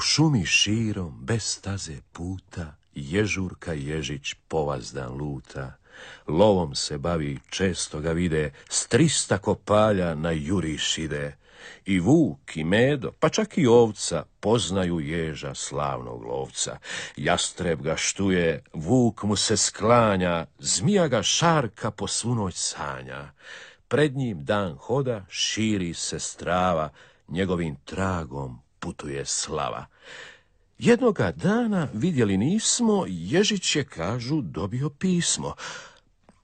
šumi širom, bez staze puta, Ježurka Ježić povazdan luta. Lovom se bavi, često ga vide, s 300 kopalja na juriš ide. I vuk, i medo, pa čak i ovca, poznaju ježa slavnog lovca. Jastreb ga štuje, vuk mu se sklanja, zmija ga šarka po svu noć sanja. Pred njim dan hoda, širi se strava, njegovim tragom putuje slava. Jednoga dana, vidjeli nismo, Ježić je, kažu, dobio pismo.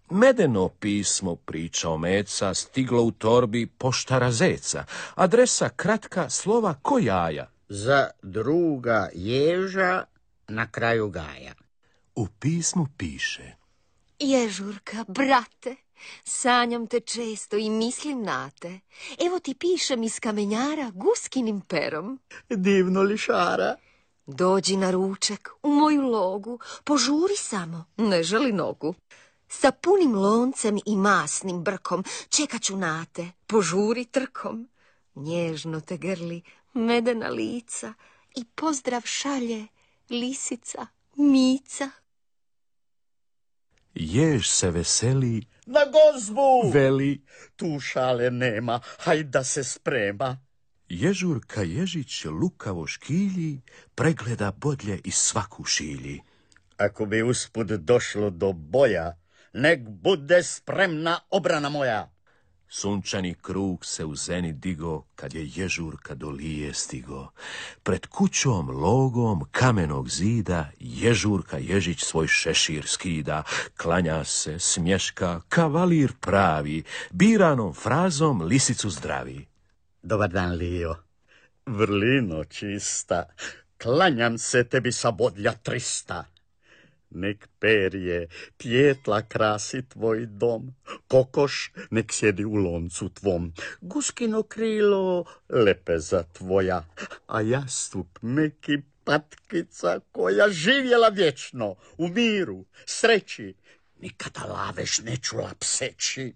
Medeno pismo, pričao Meca, stiglo u torbi poštara Zeca. Adresa kratka, slova ko jaja. Za druga ježa na kraju gaja. U pismu piše: Ježurka, brate, sanjam te često i mislim na te. Evo ti pišem iz kamenjara guskinim perom. Divno lišara. Dođi na ručak u moju logu, požuri samo, ne želi nogu. Sa punim loncem i masnim brkom čekat ću na te, požuri trkom. Nježno te grli medena lica i pozdrav šalje lisica Mica. Jež se veseli, Na gozbu! veli. Tu šale nema, hajde da se sprema. Ježurka Ježić lukavo škilji, pregleda bodlje i svaku šilji. Ako bi usput došlo do boja, nek bude spremna obrana moja. Sunčani krug se u zeni digo, kad je Ježurka do Lije stigo. Pred kućom logom kamenog zida, Ježurka Ježić svoj šešir skida. Klanja se, smješka, kavalir pravi, biranom frazom lisicu zdravi. Dobar dan, Lijo. Vrlino čista, klanjam se tebi sa bodlja 300. Nek perje, pjetla krasi tvoj dom, kokoš nek sjedi u loncu tvom, guskino krilo lepeza tvoja, a jastup neki patkica koja živjela vječno, u miru, sreći, nikada laveš ne čula pseći.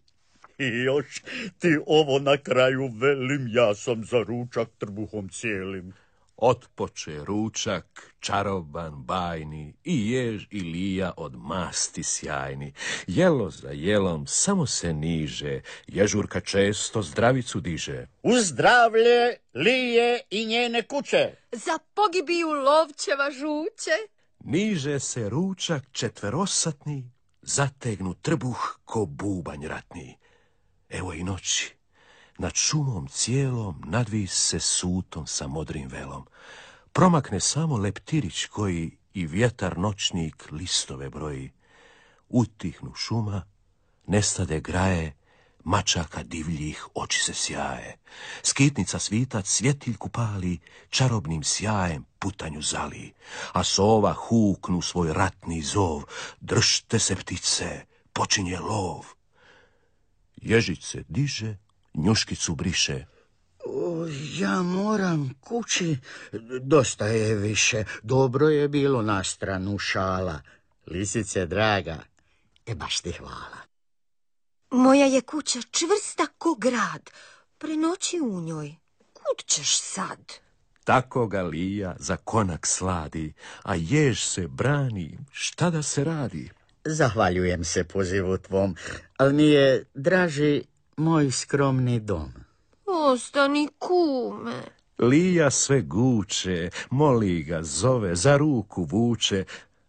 I još ti ovo na kraju velim, ja sam za ručak trbuhom cijelim. Otpoče ručak, čaroban, bajni, i jež i Lija od masti sjajni. Jelo za jelom samo se niže, Ježurka često zdravicu diže. U zdravlje Lije i njene kuće. Za pogibiju lovčeva žuće. Niže se ručak četverosatni, zategnu trbuh ko bubanj ratni. Evo i noći. Nad šumom cijelom nadvis se sutom sa modrim velom. Promakne samo leptirić koji i vjetar noćnik listove broji. Utihnu šuma, nestade graje, mačaka divljih oči se sjaje. Skitnica svitac svjetiljku pali, čarobnim sjajem putanju zali. A sova huknu svoj ratni zov, držte se ptice, počinje lov. Ježić se diže, njuškicu briše. Ja moram kući, dosta je više, dobro je bilo na stranu šala. Lisice draga, baš ti hvala. Moja je kuća čvrsta ko grad, prenoći u njoj, kud ćeš sad? Tako ga Lija za konak sladi, a jež se brani, šta da se radi? Zahvaljujem se pozivu tvom, ali mi je draži moj skromni dom. Ostani, kume. Lija sve guče, moli ga, zove, za ruku vuče,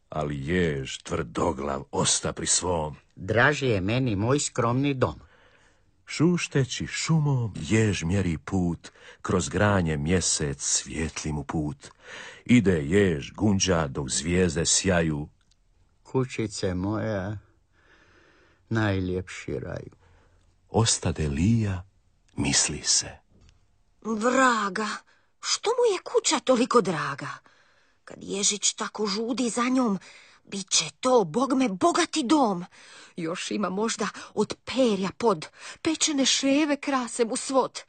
ali jež tvrdoglav osta pri svom. Draži je meni moj skromni dom. Šušteći šumom jež mjeri put, kroz granje mjesec svijetli mu put. Ide jež gunđa dok zvijezde sjaju. Kućice moja, najljepši raju. Ostade Lija, misli se. Vraga, što mu je kuća toliko draga? Kad Ježić tako žudi za njom, bit će to, bogme, bogati dom. Još ima možda od perja pod, pečene ševe krase mu svod.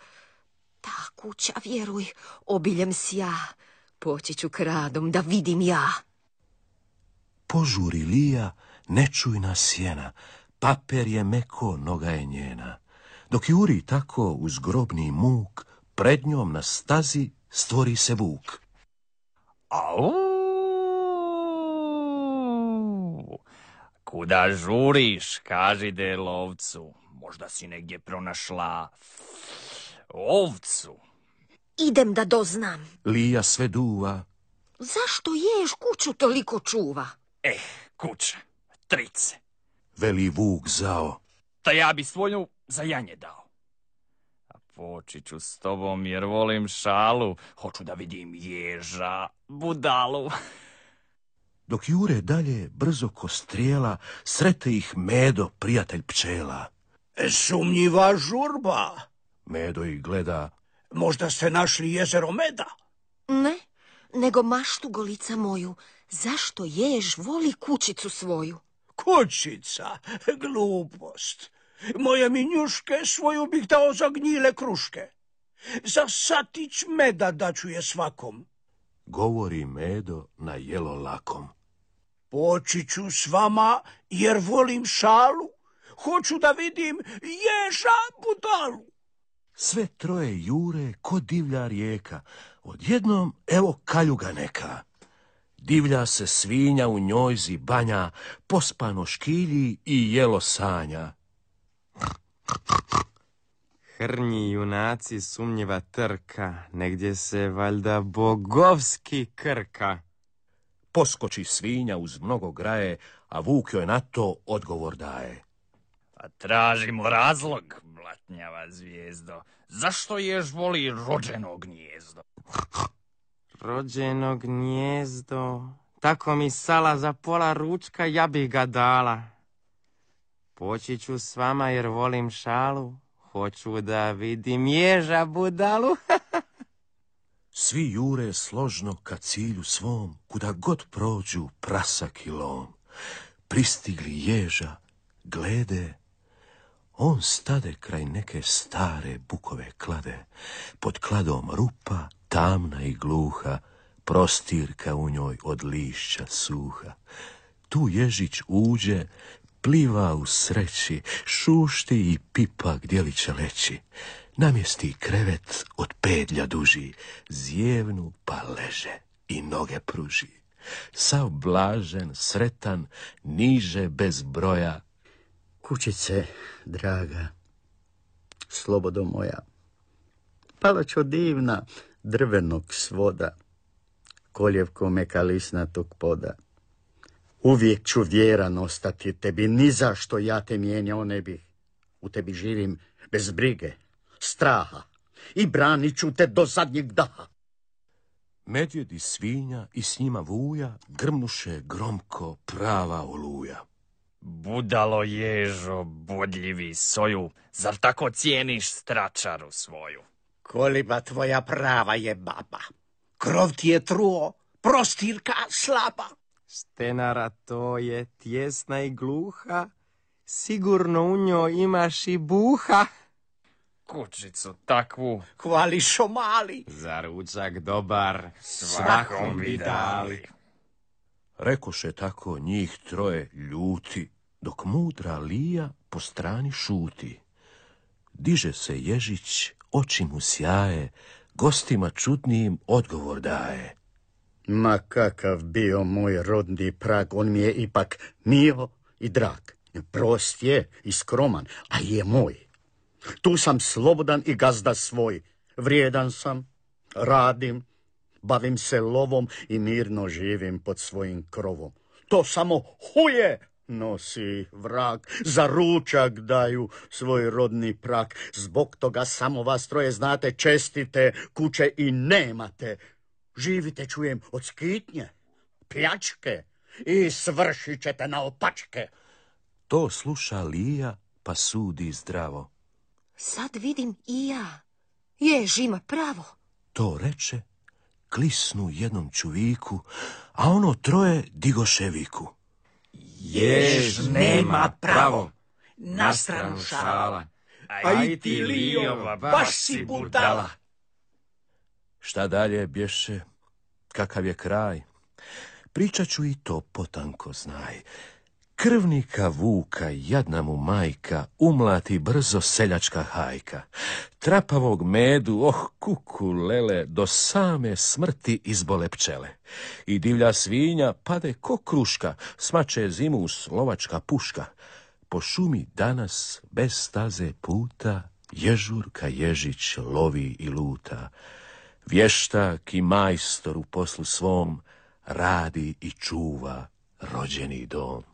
Ta kuća, vjeruj, obiljem sja, poći ću kradom da vidim ja. Požuri Lija, nečujna sjena, paper je meko, noga je njena. Dok juri tako uz grobni muk, pred njom na stazi stvori se vuk. Au! Kuda žuriš, kaži de lovcu. Možda si negdje pronašla ovcu. Idem da doznam. Lija sve duva. Zašto jež kuću toliko čuva? Kuća, trice. Veli vuk zao. Ta ja bi svoju za janje dao. A poći ću s tobom jer volim šalu. Hoću da vidim ježa, budalu. Dok jure dalje, brzo ko strijela, srete ih Medo, prijatelj pčela. Sumnjiva žurba. Medo ih gleda. Možda ste našli jezero meda? Ne, nego maštu golica moju. Zašto jež voli kućicu svoju? Kućica, glupost. Moje minjuške svoju bih dao za gnjile kruške. Za satić meda daću je svakom. Govori Medo na jelo lakom. Poći ću s vama jer volim šalu. Hoću da vidim ježa budalu. Sve troje jure ko divlja rijeka. Odjednom evo kaljuga neka. Divlja se svinja u njojzi banja, pospano škilji i jelo sanja. Hrnji junaci sumnjiva trka, negdje se valjda bogovski krka. Poskoči svinja uz mnogo graje, a vuk joj na to odgovor daje. Pa tražimo razlog, blatnjava zvijezdo. Zašto jež voli rođeno gnijezdo? Rođeno gnijezdo, tako mi sala za pola ručka, ja bih ga dala. Poći ću s vama jer volim šalu, hoću da vidim ježa budalu. Svi jure složno ka cilju svom, kuda god prođu prasak i lom. Pristigli ježa, glede, on stade kraj neke stare bukove klade, pod kladom rupa, tamna i gluha, prostirka u njoj od lišća suha. Tu ježić uđe, pliva u sreći, šušti i pipa gdje li će leći. Namjesti krevet od pedlja duži, zjevnu pa leže i noge pruži. Sav blažen, sretan, niže bez broja. Kućice, draga, slobodo moja, palačo divna drvenog svoda, koljevko meka lisnatog poda. Uvijek ću vjeran ostati tebi, ni zašto ja te mijenjao ne bih. U tebi živim bez brige, straha i branit ću te do zadnjeg daha. Medvjed i svinja i s njima vuja grmnuše gromko prava oluja. Budalo ježo, bodljivi soju, zar tako cijeniš stračaru svoju? Koliba tvoja prava je baba. Krov ti je truo, prostirka slaba. Stenara to je tjesna i gluha, sigurno u njoj imaš i buha. Kućicu takvu Hvališo mali. Za ručak dobar, svakom bi dali. Rekoše tako njih troje ljuti, dok mudra Lija po strani šuti. Diže se ježić, oči mu sjaje, gostima čudnijim odgovor daje. Ma kakav bio moj rodni prag, on mi je ipak mio i drag. Prost je i skroman, a je moj. Tu sam slobodan i gazda svoj. Vrijedan sam, radim, bavim se lovom i mirno živim pod svojim krovom. To samo huje nosi vrag, za ručak daju svoj rodni prag. Zbog toga samo vas troje znate, čestite kuće i nemate. Živite, čujem, od skitnje, pljačke i svršit ćete na opačke. To sluša Lija, pa sudi zdravo. Sad vidim i ja. Jež ima pravo. To reče, klisnu jednom čuviku, a ono troje digoše viku. Jež nema pravo, na stranu šala, A i ti, Lijova, baš si budala. Šta dalje bješe, kakav je kraj? Pričat ću i to potanko znaj. Krvnika Vuka, jadna mu majka, umlati brzo seljačka hajka. Trapavog medu, kuku lele, do same smrti izbole pčele. I divlja svinja pade ko kruška, smače zimus lovačka puška. Po šumi danas bez staze puta, Ježurka Ježić lovi i luta. Vještak i majstor u poslu svom radi i čuva rođeni dom.